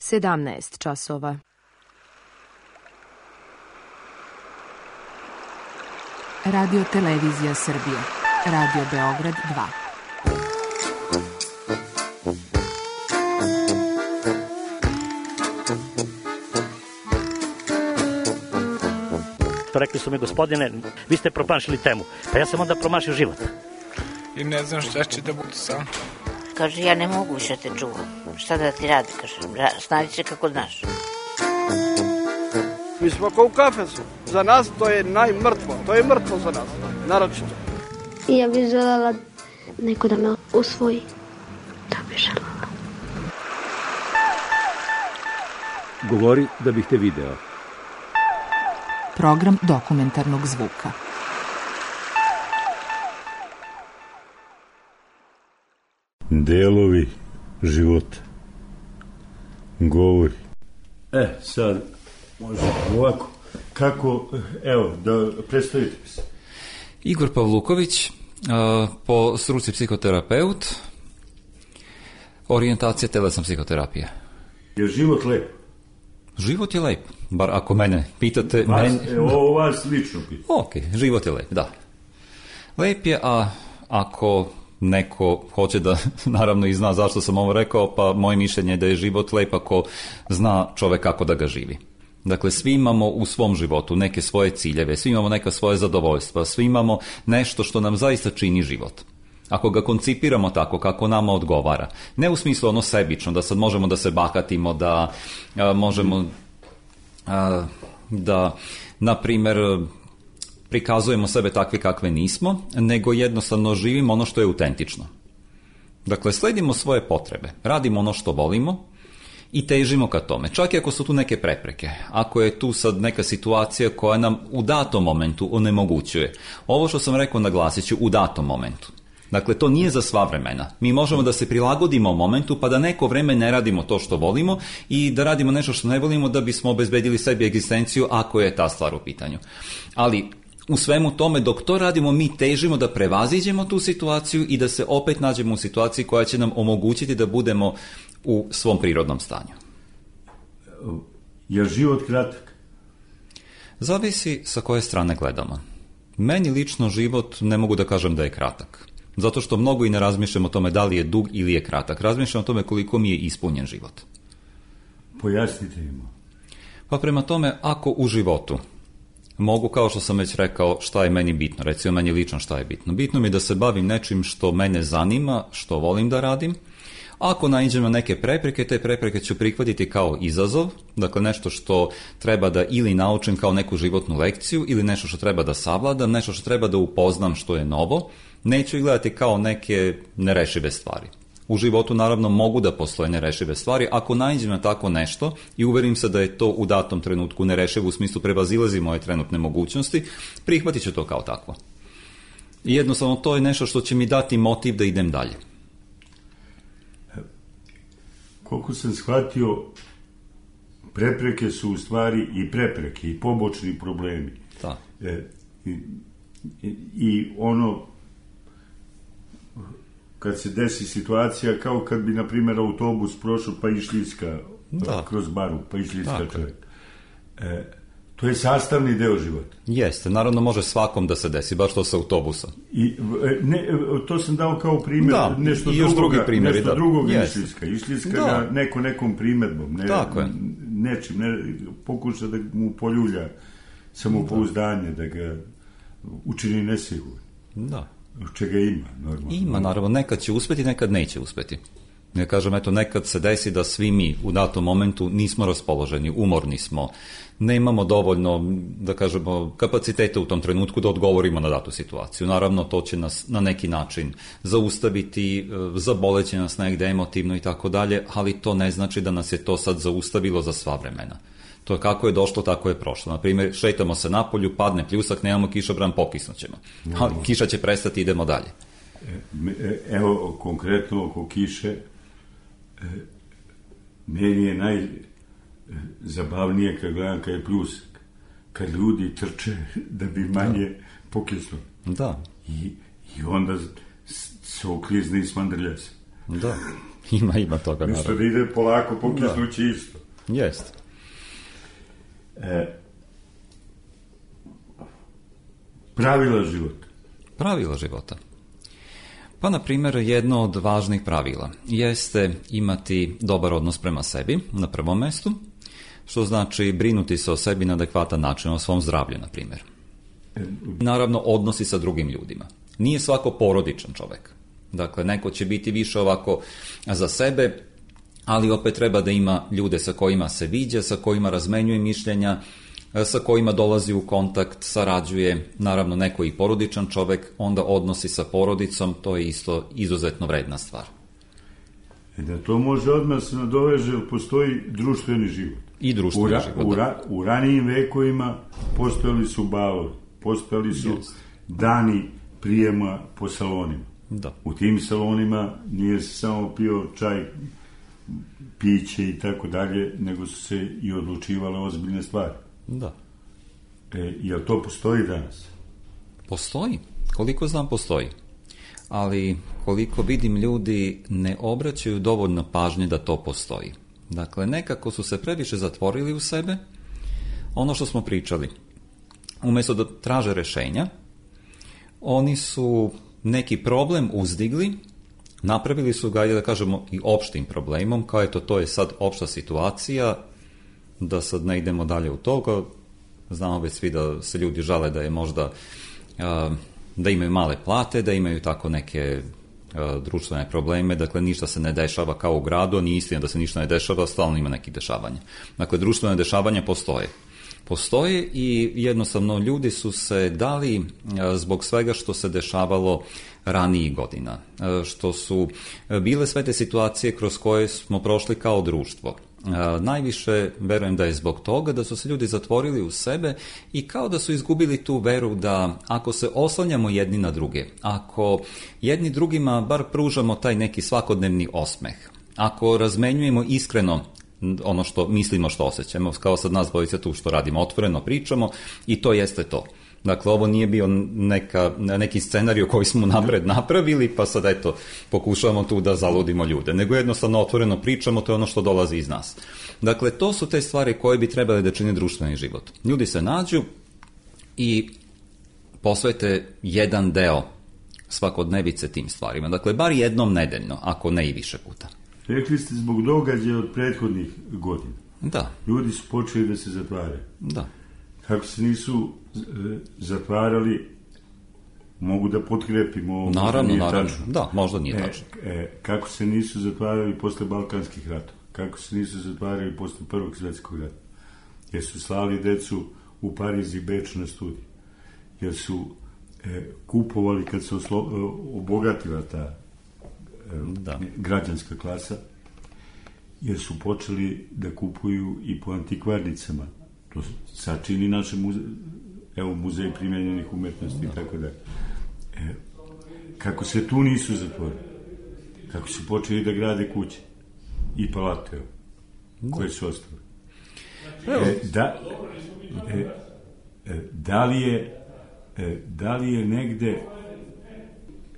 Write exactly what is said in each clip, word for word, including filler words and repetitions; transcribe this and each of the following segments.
sedamnaest časova. Radio Televizija Srbije. Radio Beograd dva. Rekli su mi, gospodine, vi ste promašili temu. Pa ja sam onda promašio život. I ne znam šta će da bude sam. Kaže, ja ne mogu više te čuvam. Šta da ti radi, kaže, snađi se kako znaš. Mi smo kao u kafesu. Za nas to je najmrtvo. To je mrtvo za nas, naročito. Ja bih željela neko da me usvoji. To bih željela. Govori da bih te video. Program dokumentarnog zvuka. Delovi života. Govori. E, sad, može ovako. Kako, evo, da predstavite mi se. Igor Pavluković, po struci psihoterapeut, orijentacija telesna psihoterapija. Je život lep? Život je lep, bar ako mene pitate. Vas, men... evo, ovo vas lično pitate. Ok, život je lep, da. Lep je, a ako neko hoće da naravno i zna zašto sam ovo rekao, pa moje mišljenje je da je život lep ako zna čovek kako da ga živi. Dakle, svi imamo u svom životu neke svoje ciljeve, svi imamo neka svoje zadovoljstva, svi imamo nešto što nam zaista čini život. Ako ga koncipiramo tako kako nama odgovara, ne u smislu ono sebično, da sad možemo da se bahatimo, da a, možemo a, da, na primjer, prikazujemo sebe takve kakve nismo, nego jednostavno živimo ono što je autentično. Dakle, sledimo svoje potrebe, radimo ono što volimo i težimo ka tome. Čak i ako su tu neke prepreke, ako je tu sad neka situacija koja nam u datom momentu onemogućuje. Ovo što sam rekao naglasit ću, u datom momentu. Dakle, to nije za sva vremena. Mi možemo da se prilagodimo momentu pa da neko vreme ne radimo to što volimo i da radimo nešto što ne volimo da bismo obezbedili sebi egzistenciju ako je ta stvar u pitanju. Ali u svemu tome, dok to radimo, mi težimo da prevaziđemo tu situaciju i da se opet nađemo u situaciji koja će nam omogućiti da budemo u svom prirodnom stanju. Je život kratak? Zavisi sa koje strane gledamo. Meni lično život ne mogu da kažem da je kratak. Zato što mnogo i ne razmišljam o tome da li je dug ili je kratak. Razmišljam o tome koliko mi je ispunjen život. Pojasnite im. Pa prema tome, ako u životu mogu, kao što sam već rekao, šta je meni bitno, recimo meni lično šta je bitno. Bitno mi je da se bavim nečim što mene zanima, što volim da radim. Ako naiđem na neke prepreke, te prepreke ću prihvatiti kao izazov, dakle nešto što treba da ili naučim kao neku životnu lekciju, ili nešto što treba da savladam, nešto što treba da upoznam što je novo. Neću ih gledati kao neke nerešive stvari. U životu naravno mogu da postoje nerešive stvari. Ako naiđem na tako nešto i uverim se da je to u datom trenutku nerešivo u smislu prevazilazi moje trenutne mogućnosti, prihvatit ću to kao takvo. I jednostavno to je nešto što će mi dati motiv da idem dalje. Koliko sam shvatio, prepreke su u stvari i prepreke i pobočni problemi. Da. E, i, i, I ono, kad se desi situacija kao kad bi, na primjer, autobus prošao pa išljiska kroz baru, pa išljiska čovjek. E, to je sastavni deo života. Jeste, naravno može svakom da se desi, baš to sa autobusom. I, ne, to sam dao kao primjer, da, nešto drugoga, nešto drugog išljiska. Išljiska ga neko nekom primjedbom, ne, nečim, ne, pokuša da mu poljulja samopouzdanje, da ga učini nesigurno. Da. Čega ima, normalno. Ima, naravno, nekad će uspeti, nekad neće uspeti. Ja kažem, eto, nekad se desi da svi mi u datom momentu nismo raspoloženi, umorni smo, ne imamo dovoljno, da kažemo, kapaciteta u tom trenutku da odgovorimo na datu situaciju. Naravno, to će nas na neki način zaustaviti, zaboleće nas negde emotivno i tako dalje, ali to ne znači da nas je to sad zaustavilo za sva vremena. To je kako je došlo, tako je prošlo. Naprimjer, šetamo se napolju, padne pljusak, nemamo kišobran, pokisnućemo. Ali kiša će prestati, idemo dalje. Evo, konkretno oko kiše, meni je najzabavnije kad gledam kad je pljusak, kad ljudi trče da bi manje pokisnuli. Da. I, i onda se oklizne i smandrlja se. Da, ima, ima toga. Nešto da ide polako pokisnući isto. Jest. E, pravila života. Pravila života. Pa, na primjer, jedno od važnih pravila jeste imati dobar odnos prema sebi, na prvom mjestu, što znači brinuti se o sebi na adekvatan način, o svom zdravlju, na primjer. Naravno, odnosi sa drugim ljudima. Nije svako porodičan čovjek. Dakle, neko će biti više ovako za sebe, ali opet treba da ima ljude sa kojima se viđa, sa kojima razmenjuje mišljenja, sa kojima dolazi u kontakt, sarađuje, naravno neko i porodičan čovjek, onda odnosi sa porodicom, to je isto izuzetno vredna stvar. E da to može odmah se nadoveže, jer postoji društveni život. I društveni u ra, život, u, ra, u ranijim vekovima postojali su balovi, postojali su yes. dani prijema po salonima. Da. U tim salonima nije se samo pio čaj, piće i tako dalje, nego su se i odlučivale ozbiljne stvari. Da. E, jel to postoji danas? Postoji. Koliko znam, postoji. Ali koliko vidim, ljudi ne obraćaju dovoljno pažnje da to postoji. Dakle, nekako su se previše zatvorili u sebe. Ono što smo pričali, umjesto da traže rješenja, oni su neki problem uzdigli, napravili su ga, da kažemo, i opštim problemom, kao eto, to je sad opšta situacija, da sad ne idemo dalje u toga. Znamo već svi da se ljudi žale da je možda da imaju male plate, da imaju tako neke društvene probleme, dakle ništa se ne dešava kao u gradu, a nije istina da se ništa ne dešava, stalno ima nekih dešavanja. Dakle, društvene dešavanja postoje. Postoje i jednostavno ljudi su se dali zbog svega što se dešavalo ranijih godina, što su bile sve te situacije kroz koje smo prošli kao društvo. Najviše verujem da je zbog toga da su se ljudi zatvorili u sebe i kao da su izgubili tu veru da ako se oslanjamo jedni na druge, ako jedni drugima bar pružamo taj neki svakodnevni osmeh, ako razmenjujemo iskreno ono što mislimo, što osjećamo, kao sad nas dvojica tu što radimo, otvoreno pričamo i to jeste to. Dakle, ovo nije bio neka, neki scenarij koji smo napred napravili, pa sad eto, pokušavamo tu da zaludimo ljude, nego jednostavno otvoreno pričamo, to je ono što dolazi iz nas. Dakle, to su te stvari koje bi trebali da čine društveni život. Ljudi se nađu i posvete jedan deo svakodnevice tim stvarima. Dakle, bar jednom nedeljno, ako ne i više puta. Rekli ste zbog događaja od prethodnih godina. Da. Ljudi su počeli da se zatvaraju. Da. Kako se nisu e, zatvarali, mogu da potkrepimo. Naravno, naravno. Da, možda nije tačno. E, e, kako se nisu zatvarali posle Balkanskih ratova? Kako se nisu zatvarali posle Prvog svjetskog rata? Jer su slali decu u Pariz i Beč na studij. Jer su e, kupovali, kad se oslo, e, obogatila ta Da. građanska klasa, jer su počeli da kupuju i po antikvarnicama. To sačini naše muze, evo, muzej primjenjenih umetnosti i tako da. E, kako se tu nisu zatvorili, kako su počeli da grade kuće i palate, evo, koje su ostale. E, da, e, e, da li je e, da li je negde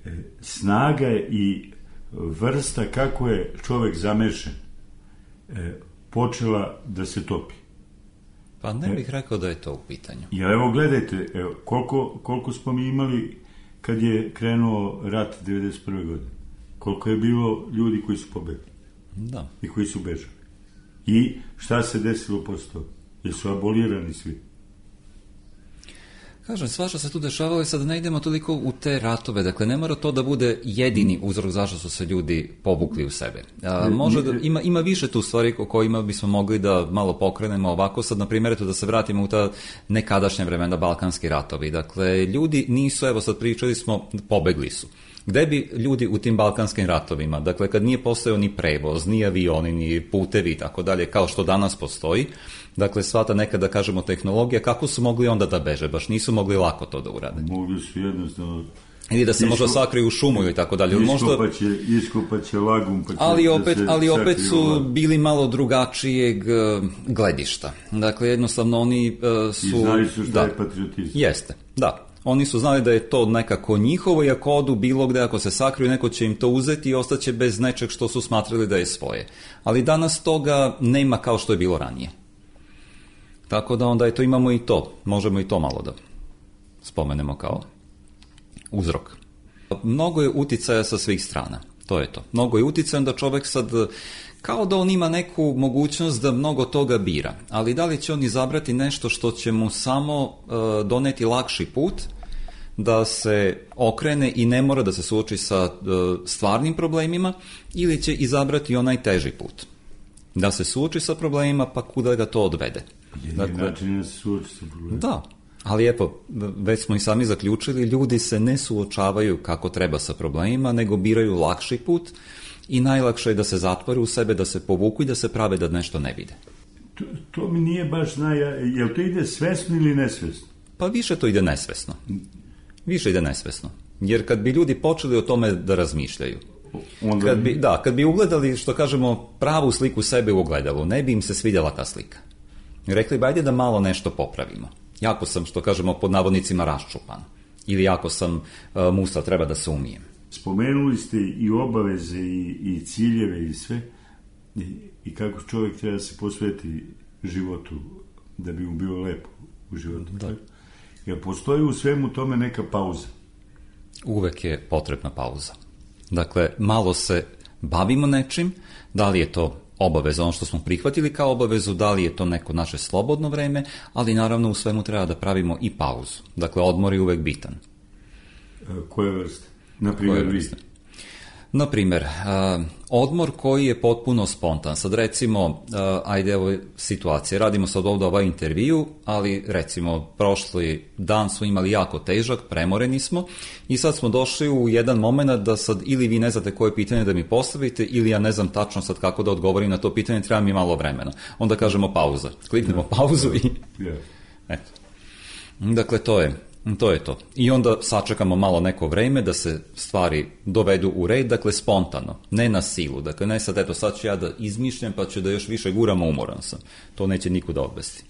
e, snaga i vrsta kako je čovjek zamešan e, počela da se topi. Pa ne bih rekao da je to u pitanju. Ja, evo gledajte, evo, koliko, koliko smo mi imali kad je krenuo rat devedeset prve godine. Koliko je bilo ljudi koji su pobegli. Da. I koji su bežali. I šta se desilo posle toga? Jer su abolirani svi. Kažem, svašta se tu dešavalo i sad ne idemo toliko u te ratove, dakle ne mora to da bude jedini uzrok zašto su se ljudi povukli u sebe. A, može da, ima, ima više tu stvari o kojima bismo mogli da malo pokrenemo ovako, sad na primjer da se vratimo u ta nekadašnja vremena, Balkanski ratovi. Dakle, ljudi nisu, evo sad pričali smo, pobegli su. Gde bi ljudi u tim balkanskim ratovima, dakle kad nije postojao ni prevoz, ni avioni, ni putevi i tako dalje, kao što danas postoji, dakle sva ta neka, da kažemo, tehnologija, kako su mogli onda da beže? Baš nisu mogli lako to da urade. Mogli su jednostavno... Ili da se možda sakriju u šumu ili tako dalje. Iskopaće, iskopaće lagum, pa će ali opet, da se ali opet su lagum. Bili malo drugačijeg gledišta. Dakle, jednostavno oni uh, su... I znali su šta da, je patriotizam. Jeste, da. Oni su znali da je to nekako njihovo i ako odu bilo gde, ako se sakriju, neko će im to uzeti i ostaće bez nečeg što su smatrali da je svoje. Ali danas toga nema kao što je bilo ranije. Tako da onda eto imamo i to, možemo i to malo da spomenemo kao uzrok. Mnogo je uticaja sa svih strana, to je to. Mnogo je uticaja da čovek sad, kao da on ima neku mogućnost da mnogo toga bira, ali da li će on izabrati nešto što će mu samo uh, doneti lakši put, da se okrene i ne mora da se suoči sa uh, stvarnim problemima, ili će izabrati onaj teži put, da se suoči sa problemima pa kuda ga to odvede. Dakle, način da se suoči sa problemima. Da, ali evo, već smo i sami zaključili, ljudi se ne suočavaju kako treba sa problemima, nego biraju lakši put i najlakše je da se zatvore u sebe, da se povuku i da se prave da nešto ne vide. To, to mi nije baš zna, jel to ide svesno ili nesvesno? Pa više to ide nesvesno. Više ide nesvesno. Jer kad bi ljudi počeli o tome da razmišljaju, onda... kad bi, da, kad bi ugledali, što kažemo, pravu sliku sebe u ogledalu, ne bi im se svidjela ta slika. Rekli bi, ajde da malo nešto popravimo. Jako sam, što kažemo, pod navodnicima raščupan. Ili jako sam uh, musa, treba da se umijem. Spomenuli ste i obaveze i, i ciljeve i sve i, i kako čovjek treba da se posveti životu da bi mu bilo lepo u životu. Da. Jer postoji u svemu tome neka pauza. Uvek je potrebna pauza. Dakle, malo se bavimo nečim, da li je to obaveza, ono što smo prihvatili kao obavezu, da li je to neko naše slobodno vreme, ali naravno u svemu treba da pravimo i pauzu. Dakle, odmor je uvek bitan. Koje vrste? Naprimjer, vrste? Naprimjer, uh, odmor koji je potpuno spontan. Sad recimo, uh, ajde evo situacije, radimo sad ovdje ovaj intervju, ali recimo prošli dan smo imali jako težak, premoreni smo i sad smo došli u jedan moment da sad ili vi ne znate koje pitanje da mi postavite ili ja ne znam tačno sad kako da odgovorim na to pitanje, treba mi malo vremena. Onda kažemo pauza, kliknemo pauzu i... Eto. Dakle, to je... To je to. I onda sačekamo malo neko vreme da se stvari dovedu u red, dakle spontano, ne na silu. Dakle, ne sad, eto, sad ću ja da izmišljam pa ću da još više guramo, umoran sam. To neće nikuda odvesti.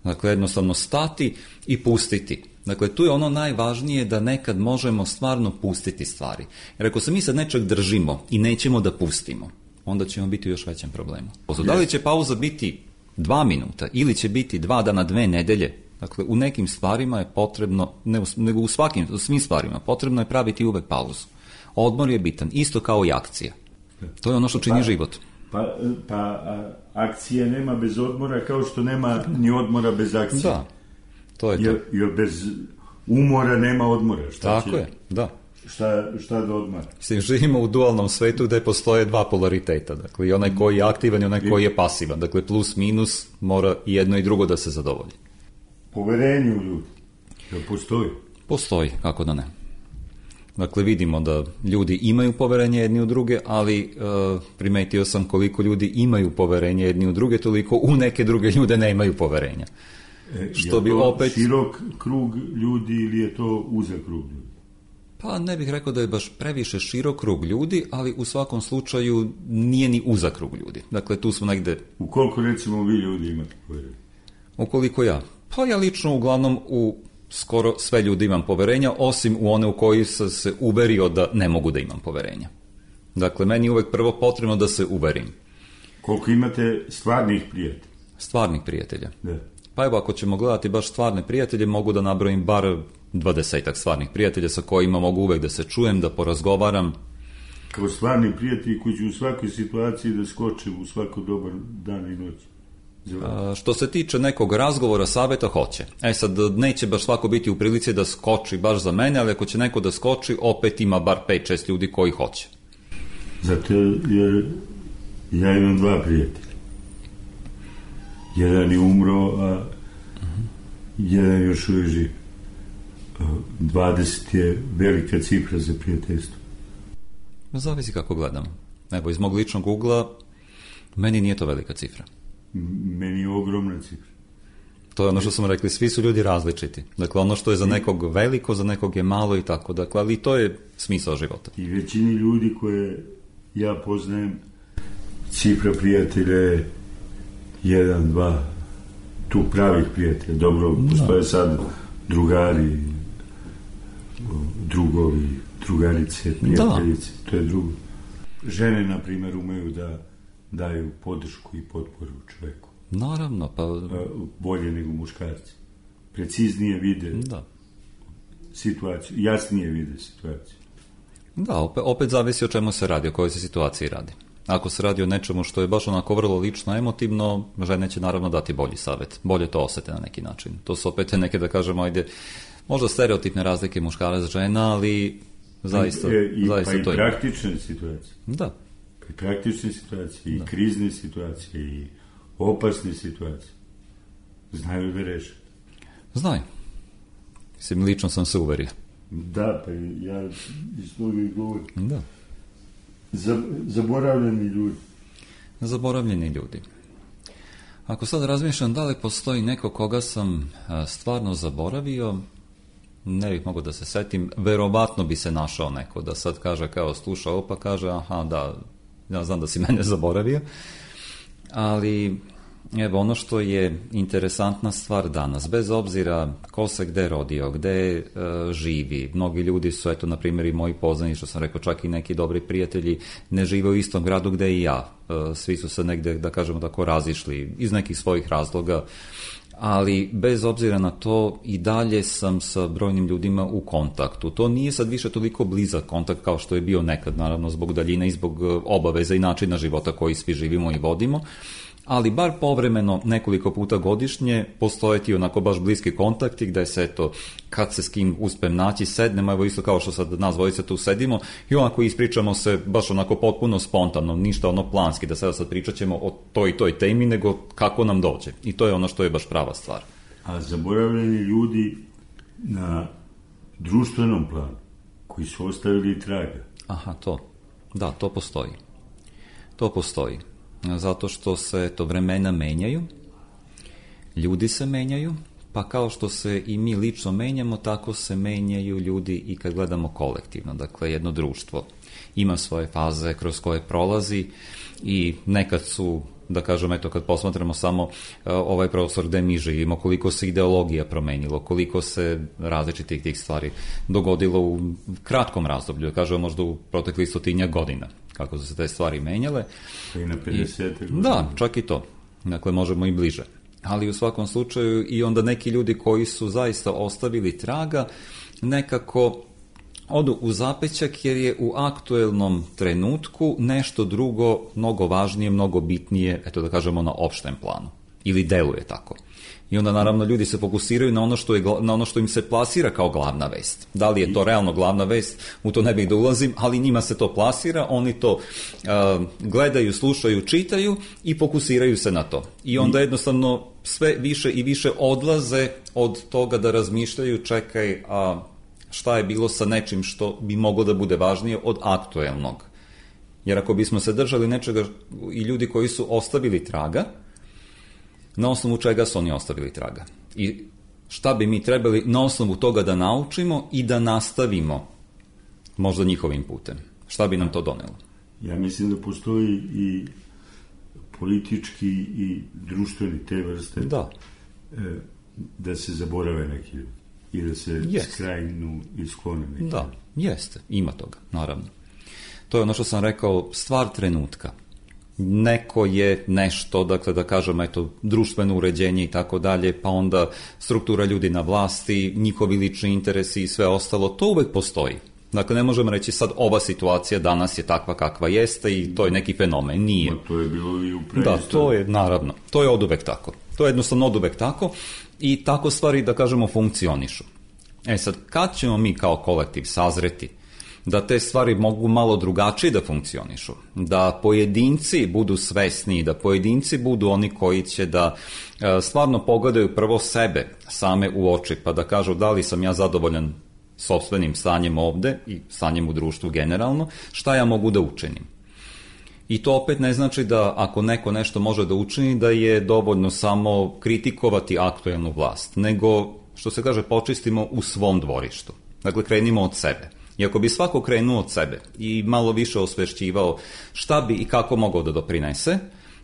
Dakle, jednostavno stati i pustiti. Dakle, tu je ono najvažnije da nekad možemo stvarno pustiti stvari. Jer ako se mi sad nečeg držimo i nećemo da pustimo, onda ćemo biti u još većem problemu. Da li će pauza biti dva minuta ili će biti dva dana, dve nedelje? Dakle, u nekim stvarima je potrebno, ne, nego u svakim, u svim stvarima, potrebno je praviti uvek pauzu. Odmor je bitan, isto kao i akcija. To je ono što čini pa, život. Pa, pa a, akcija nema bez odmora, kao što nema ni odmora bez akcije. Da, to je to. Jer, jer bez umora nema odmora. Šta Tako će, je, da. Šta, šta da odmara? Mislim, živimo u dualnom svetu gde postoje dva polariteta. Dakle, i onaj koji je aktivan i onaj koji je pasivan. Dakle, plus, minus, mora i jedno i drugo da se zadovolji. Poverenje u ljudi. Jel postoji? Postoji, kako da ne. Dakle, vidimo da ljudi imaju poverenje jedni u druge, ali e, primetio sam koliko ljudi imaju poverenje jedni u druge, toliko u neke druge ljude nemaju poverenja. E, što je bi to opet... širok krug ljudi ili je to uzak krug ljudi? Pa ne bih rekao da je baš previše širok krug ljudi, ali u svakom slučaju nije ni uzak krug ljudi. Dakle, tu smo negde... U koliko recimo vi ljudi imate poverenje? Ukoliko ja? Pa ja lično uglavnom u skoro sve ljudi imam poverenja, osim u one u koji sam se uverio da ne mogu da imam poverenja. Dakle, meni je uvek prvo potrebno da se uverim. Koliko imate stvarnih prijatelja? Stvarnih prijatelja? Da. Pa evo, ako ćemo gledati baš stvarne prijatelje, mogu da nabrojim bar dvadesetak stvarnih prijatelja sa kojima mogu uvek da se čujem, da porazgovaram. Kao stvarni prijatelji koji će u svakoj situaciji da skoče u svako dobar dan i noć. A, što se tiče nekog razgovora, saveta, hoće. E sad, neće baš svako biti u prilici da skoči baš za mene, ali ako će neko da skoči, opet ima bar pet šest ljudi koji hoće. Zato jer ja imam dva prijatelja. Jedan je umro, a uh-huh. jedan još uvijek živ. dvadeset je velika cifra za prijateljstvo. Zavisi kako gledam. Evo, iz mog ličnog ugla, meni nije to velika cifra. Meni je ogromna cifra. To je ono što smo rekli, svi su ljudi različiti. Dakle, ono što je za nekog veliko, za nekog je malo i tako. Dakle, ali to je smisao života. I većini ljudi koje ja poznajem, cifra prijatelja je jedan, dva, tu pravih prijatelja. Dobro, postoje sad drugari, drugovi, drugarice, prijateljice, da. To je drugo. Žene, na primjer, umeju da daju podršku i potporu čoveku. Naravno, pa... Bolje nego muškarci. Preciznije vide da. Situaciju, jasnije vide situaciju. Da, opet, opet zavisi o čemu se radi, o kojoj se situaciji radi. Ako se radi o nečemu što je baš onako vrlo lično, emotivno, žene će naravno dati bolji savjet. Bolje to osete na neki način. To su opet neke, da kažemo, ajde, možda stereotipne razlike muškarac žena, ali zaista, I, i, zaista pa to je. Pa i praktične situacije. Da. Pa i praktične situacije, i da. Krizne situacije, i opasne situacije. Znaju da reše. Znaju. Mislim, lično sam se uverio. Da, pa ja iz toga i govorim. Da. Zaboravljeni ljudi. Zaboravljeni ljudi. Ako sad razmišljam da li postoji neko koga sam stvarno zaboravio, ne bih mogao da se setim, verovatno bi se našao neko da sad kaže kao slušao, pa kaže aha da, ja znam da si mene zaboravio, ali evo ono što je interesantna stvar danas, bez obzira ko se gde rodio, gde uh, živi, mnogi ljudi su, eto, na primjer i moji poznani, što sam rekao, čak i neki dobri prijatelji ne žive u istom gradu gde i ja, uh, svi su se negde, da kažemo tako, razišli iz nekih svojih razloga, ali bez obzira na to i dalje sam sa brojnim ljudima u kontaktu. To nije sad više toliko blizak kontakt kao što je bio nekad, naravno zbog daljine i zbog obaveza i načina života koji svi živimo i vodimo, ali bar povremeno nekoliko puta godišnje postoje ti onako baš bliski kontakti gde se, eto, kad se s kim uspem naći, sednemo, evo isto kao što sad nas dvojice tu sedimo i onako ispričamo se baš onako potpuno spontano, ništa ono planski, da sada sad pričat ćemo o toj i toj temi, nego kako nam dođe. I to je ono što je baš prava stvar. A zaboravljeni ljudi na društvenom planu, koji su ostavili traga. Aha, to. Da, to postoji. To postoji. Zato što se to vremena menjaju, ljudi se menjaju, pa kao što se i mi lično menjamo, tako se menjaju ljudi i kad gledamo kolektivno. Dakle, jedno društvo ima svoje faze kroz koje prolazi i nekad su, da kažem, eto, kad posmatramo samo uh, ovaj prostor gde mi živimo, koliko se ideologija promenilo, koliko se različitih tih stvari dogodilo u kratkom razdoblju, da kažemo možda u proteklih stotinja godina, kako su se te stvari menjale. I na pedeset godina. Da, čak i to. Dakle, možemo i bliže. Ali u svakom slučaju i onda neki ljudi koji su zaista ostavili traga, nekako odu u zapećak jer je u aktuelnom trenutku nešto drugo, mnogo važnije, mnogo bitnije, eto da kažemo na opštem planu. Ili deluje tako. I onda naravno ljudi se fokusiraju na ono što, je, na ono što im se plasira kao glavna vest. Da li je to realno glavna vest, u to ne bih da ulazim, ali njima se to plasira, oni to uh, gledaju, slušaju, čitaju i fokusiraju se na to. I onda jednostavno sve više i više odlaze od toga da razmišljaju, čekaj, a šta je bilo sa nečim što bi moglo da bude važnije od aktuelnog. Jer ako bismo se držali nečega i ljudi koji su ostavili traga, na osnovu čega su oni ostavili traga. I šta bi mi trebali na osnovu toga da naučimo i da nastavimo možda njihovim putem. Šta bi nam to donelo? Ja mislim da postoji i politički i društveni te vrste da, da se zaborave neki ljudi i da se yes. skrajnu i sklone neki. Da, jeste, ima toga, naravno. To je ono što sam rekao, stvar trenutka. Neko je nešto, dakle da kažem, eto, društveno uređenje i tako dalje, pa onda struktura ljudi na vlasti, njihovi lični interesi i sve ostalo, to uvek postoji. Dakle, ne možemo reći sad ova situacija danas je takva kakva jeste i to je neki fenomen, nije. Ma, to je bilo i u preistoriji. Da, to je, naravno, to je oduvek tako. To je jednostavno oduvek tako i tako stvari, da kažemo, funkcionišu. E sad, kad ćemo mi kao kolektiv sazreti da te stvari mogu malo drugačije da funkcionišu, da pojedinci budu svesni, da pojedinci budu oni koji će da e, stvarno pogledaju prvo sebe same u oči, pa da kažu da li sam ja zadovoljan sopstvenim stanjem ovde i stanjem u društvu generalno, šta ja mogu da učinim. I to opet ne znači da ako neko nešto može da učini, da je dovoljno samo kritikovati aktuelnu vlast, nego, što se kaže, počistimo u svom dvorištu. Dakle, krenimo od sebe. I ako bi svako krenuo od sebe i malo više osvešćivao šta bi i kako mogao da doprinese,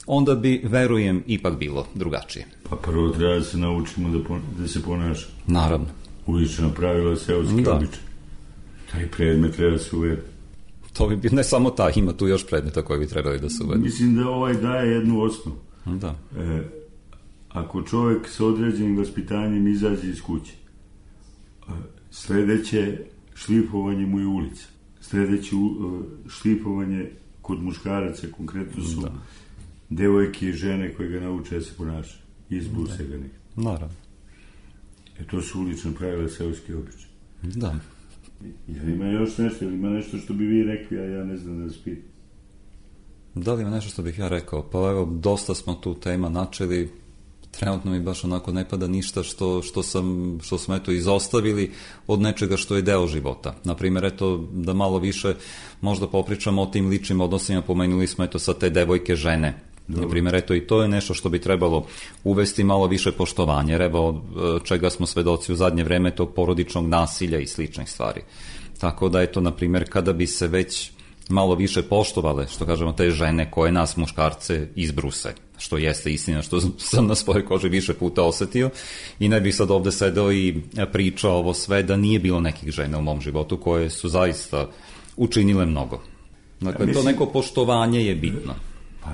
onda bi, verujem, ipak bilo drugačije. Pa prvo treba da se naučimo da, pon- da se ponaša. Naravno. Ulična pravila, seoski da. običaj. Taj predmet treba se uvede. To bi bio, ne samo taj, ima tu još predmeta koji bi trebali da se uvedu. Mislim da ovaj daje jednu osnovu. Da. E, ako čovjek sa određenim vaspitanjem izađe iz kuće, sljedeće šlifovanje mu je ulica. Sljedeće šlifovanje kod muškaraca konkretno su da. devojke i žene koje ga nauče da se ponaša. Izbruse ga nekako. Naravno. E to su ulične pravila, seoske običaje. Da. Jel ima još nešto, ili ima nešto što bi vi rekli, a ja ne znam da vas pitam? Da li ima nešto što bih ja rekao? Pa evo, dosta smo tu tema načeli, trenutno mi baš onako ne pada ništa što, što, sam, što smo eto izostavili od nečega što je deo života. Naprimjer, eto, da malo više možda popričamo o tim ličnim odnosima, pomenuli smo eto sa te devojke žene. Na primjer, eto, i to je nešto što bi trebalo uvesti malo više poštovanja, jer evo čega smo svedoci u zadnje vreme, tog porodičnog nasilja i sličnih stvari. Tako da, eto, na primjer, kada bi se već malo više poštovale, što kažemo, te žene koje nas muškarce izbruse, što jeste istina, što sam na svojoj koži više puta osetio, i ne bih sad ovde sedeo i pričao ovo sve da nije bilo nekih žena u mom životu koje su zaista učinile mnogo. Dakle, mislim, to neko poštovanje je bitno. Pa,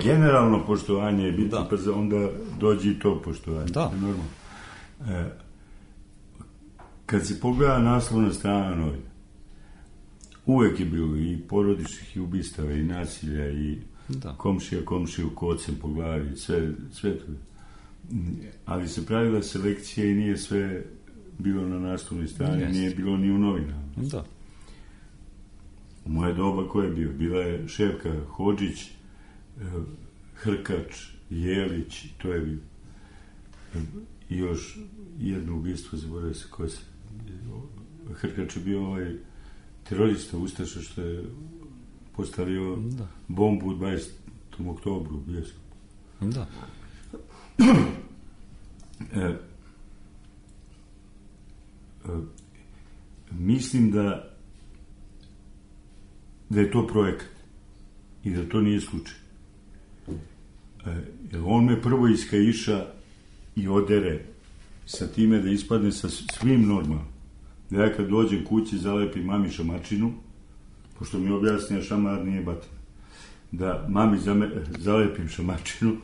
generalno poštovanje je bitno, pa onda dođe i to poštovanje. Da. Normalno. E, kad se pogleda naslovna strana novina, uvek je bilo i porodičnih i ubistava i nasilja i da. komšija komšiju kocem po glavi, sve, sve to. Ali se pravila selekcija i nije sve bilo na naslovnoj strani, yes. nije bilo ni u novinama. Da. U moje doba ko je bio? Bila je Ševka Hodžić, Hrkač, Jelić, to je bio. I još jedno ubistvo, zaboravio se ko se... Hrkač je bio ovaj terorista, ustaša što je postavio da. bombu u dvadesetom oktobru u Bljesku. Da. E, e, mislim da da je to projekat i da to nije slučaj. E, on me prvo iskaiša i odere sa time da ispadne sa svim normalno. Da ja kad dođem kući zalepim mami šamačinu, pošto mi objasnija šamar nije batina, da mami zame, zalepim šamačinu,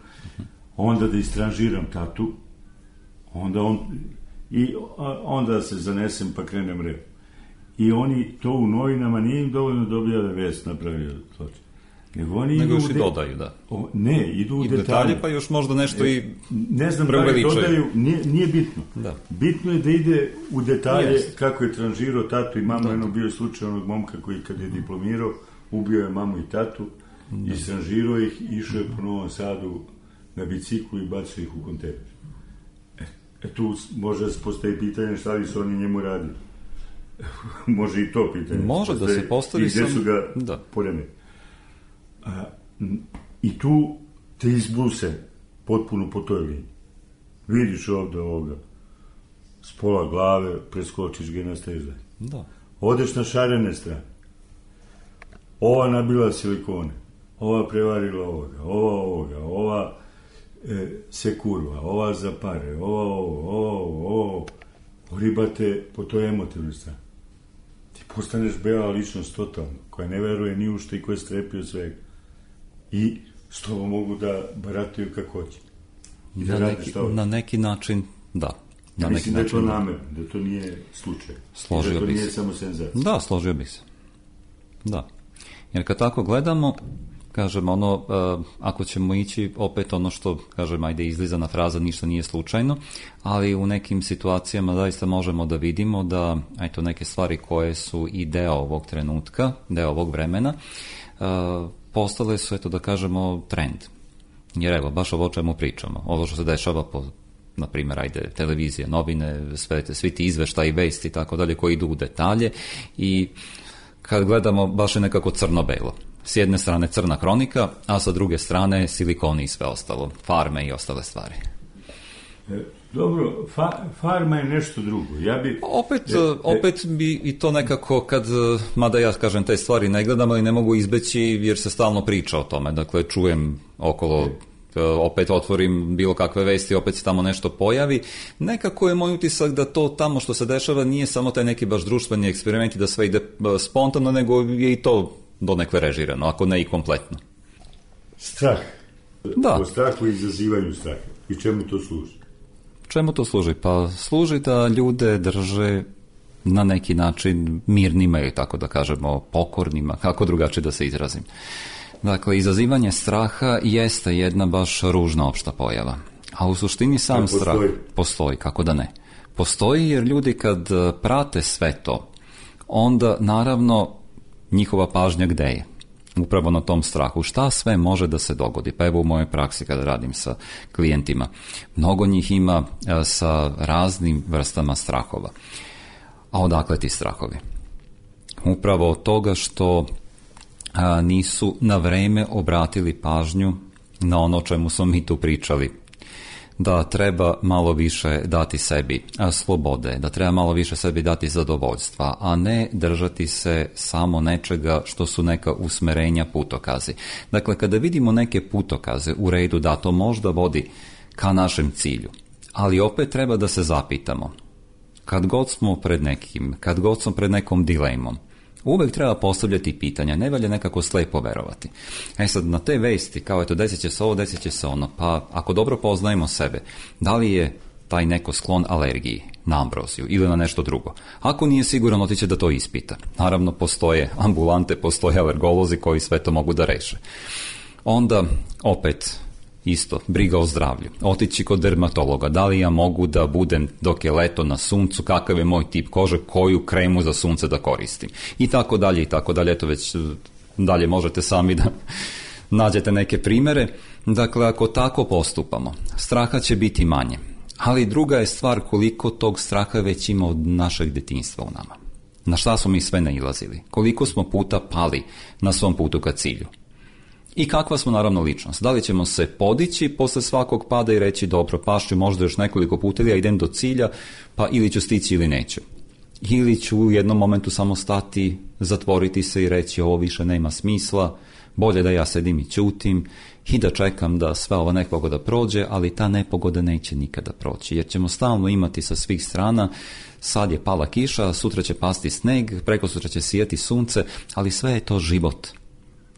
onda da istranžiram tatu, onda on i onda se zanesem pa krenem rep. I oni to u novinama nije im dovoljno da objave vest napravio zločin. Nego oni Nego idu još i de... dodaju, da. O, ne, idu u I detalje. detalje, pa još možda nešto i ne znam da li dodaju, nije, nije bitno. Da. Bitno je da ide u detalje yes. kako je tranžirao tatu i mamu. Eno bio je slučaj onog momka koji kad je diplomirao, ubio je mamu i tatu, da. istranžirao ih, išao je po Novom Sadu na biciklu i bacio ih u kontejner. E, e tu može da se postavi pitanje šta li su oni njemu radili. Može i to pitanje. Može da se postavi. I gde su ga da. poreme. A, i tu te izbruse potpuno po toj liniji. Vidiš ovde ovoga s pola glave, preskočiš ga i nastaviš dalje. Da. Odeš na šarene strane. Ova nabila silikone, ova prevarila ovoga, ova ovoga, ova e, se kurva, ova za pare, ova ovo, ovo, ovo, ribate po toj emotivnoj strani. Ti postaneš bela ličnost totalno, koja ne veruje ni u što i koja strepi od svega. I s tobom mogu da barataju kako hoće. I da na, rade neki, šta hoće. na neki način, da. Na Ja mislim neki da je to način, namerno, da to nije slučaj. Složio da to bi nije se. samo senzacija. Da, složio bi se. Da. Jer kad tako gledamo, kažem, ono, uh, ako ćemo ići opet ono što, kažem, ajde izlizana fraza, ništa nije slučajno, ali u nekim situacijama zaista možemo da vidimo da, eto, neke stvari koje su i deo ovog trenutka, deo ovog vremena, uh, postale su, eto, da kažemo, trend. Jer evo, baš ovo o čemu pričamo, ovo što se dešava po, na primjer, ajde, televizije, novine, sve te, svi ti izveštaji, vesti i tako dalje, koji idu u detalje i kad gledamo, baš je nekako crno-belo. S jedne strane crna hronika, a sa druge strane silikoni i sve ostalo, farme i ostale stvari. E, dobro, fa, farma je nešto drugo. Ja bi, opet, e, opet bi i to nekako, kad, mada ja kažem te stvari ne gledam, ali ne mogu izbeći jer se stalno priča o tome. Dakle, čujem okolo opet otvorim bilo kakve vesti, opet se tamo nešto pojavi. Nekako je moj utisak da to tamo što se dešava nije samo taj neki baš društveni eksperiment i da sve ide spontano, nego je i to donekle režirano, ako ne i kompletno. Strah. Da. O strahu i izazivanju straha. I čemu to služi? Čemu to služi? Pa služi da ljude drže na neki način mirnima ili tako da kažemo pokornima, kako drugačije da se izrazim. Dakle, izazivanje straha jeste jedna baš ružna opšta pojava. A u suštini sam postoji. strah postoji, kako da ne. Postoji jer ljudi kad prate sve to, onda naravno njihova pažnja gde je? Upravo na tom strahu. Šta sve može da se dogodi? Pa evo u mojoj praksi kada radim sa klijentima. Mnogo njih ima sa raznim vrstama strahova. A odakle ti strahovi? Upravo od toga što a, nisu na vreme obratili pažnju na ono o čemu smo mi tu pričali. Da treba malo više dati sebi a, slobode, da treba malo više sebi dati zadovoljstva, a ne držati se samo nečega što su neka usmerenja, putokazi. Dakle, kada vidimo neke putokaze, u redu da to možda vodi ka našem cilju, ali opet treba da se zapitamo. Kad god smo pred nekim, kad god smo pred nekom dilemom, uvek treba postavljati pitanja, ne valja nekako slepo verovati. E sad, na te vesti, kao eto, desit će se ovo, desit će se ono, pa ako dobro poznajemo sebe, da li je taj neko sklon alergiji na ambroziju ili na nešto drugo? Ako nije siguran, otiće da to ispita. Naravno, postoje ambulante, postoje alergolozi koji sve to mogu da reše. Onda, opet, isto, briga o zdravlju. Otići kod dermatologa, da li ja mogu da budem dok je leto na suncu, kakav je moj tip kože, koju kremu za sunce da koristim. I tako dalje, i tako dalje. Eto već dalje možete sami da nađete neke primere. Dakle, ako tako postupamo, straha će biti manje. Ali druga je stvar koliko tog straha već ima od našeg detinjstva u nama. Na šta smo mi sve nailazili? Koliko smo puta pali na svom putu ka cilju? I kakva smo naravno ličnost? Da li ćemo se podići posle svakog pada i reći dobro, pašću možda još nekoliko puta ili ja idem do cilja, pa ili ću stići ili neću. Ili ću u jednom momentu samo stati, zatvoriti se i reći ovo više nema smisla, bolje da ja sedim i ćutim i da čekam da sva ova nepogoda prođe, ali ta nepogoda neće nikada proći, jer ćemo stalno imati sa svih strana, sad je pala kiša, sutra će pasti sneg, preko sutra će sijati sunce, ali sve je to život.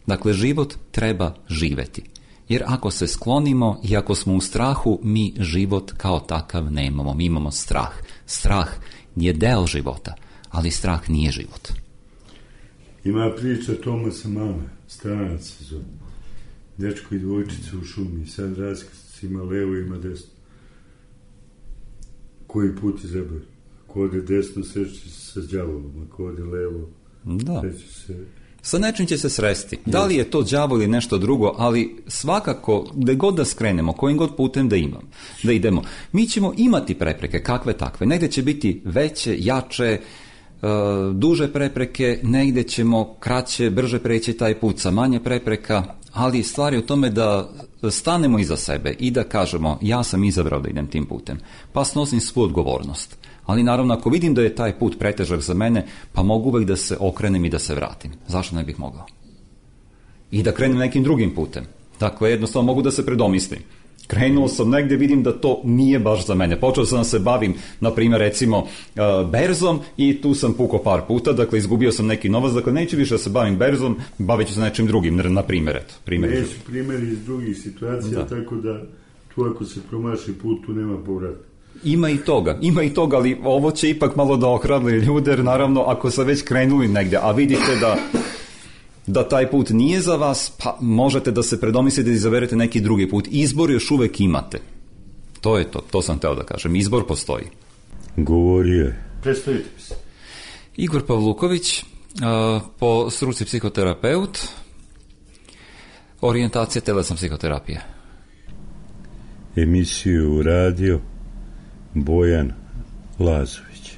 Dakle, život treba živeti. Jer ako se sklonimo i ako smo u strahu, mi život kao takav nemamo. Mi imamo strah. Strah je deo života, ali strah nije život. Ima priča Tomasa Mane, Stranac se zove. Dečko i dvojčica u šumi. Sad raskrsnici ima levo, ima desno. Koji put izabrao? Ko ode desno, sreći se sa đavolom. Ako ode levo, da. sreći se... Sa nečim će se sresti. Da li je to đavo ili nešto drugo, ali svakako, gde god da skrenemo, kojim god putem da imam, da idemo, mi ćemo imati prepreke, kakve takve. Negde će biti veće, jače, uh, duže prepreke, negde ćemo kraće, brže preći taj put sa manje prepreka, ali stvar je u tome da stanemo iza sebe i da kažemo ja sam izabrao da idem tim putem, pa snosim svu odgovornost. Ali naravno ako vidim da je taj put pretežak za mene, pa mogu uvek da se okrenem i da se vratim. Zašto ne bih mogao? I da krenem nekim drugim putem. Dakle, jednostavno mogu da se predomislim. Krenuo sam negdje, vidim da to nije baš za mene. Počeo sam da se bavim, na primjer, recimo, berzom i tu sam pukao par puta, dakle, izgubio sam neki novac, dakle, neću više da se bavim berzom, bavit ću se nečim drugim, na primjer, eto. Neću primjeri iz drugih situacija, da. Tako da tu ako se promaši put, tu nema povrata. Ima i toga, ima i toga, ali ovo će ipak malo da ohrabri ljude, jer naravno, ako se već krenuli negdje, a vidite da da taj put nije za vas, pa možete da se predomislite da izaberete neki drugi put. Izbor još uvek imate. To je to, to sam teo da kažem. Izbor postoji. Govorio je. Predstavite se. Igor Pavluković, po struci psihoterapeut, orijentacija telesna psihoterapija. Emisiju radio Bojan Lazović.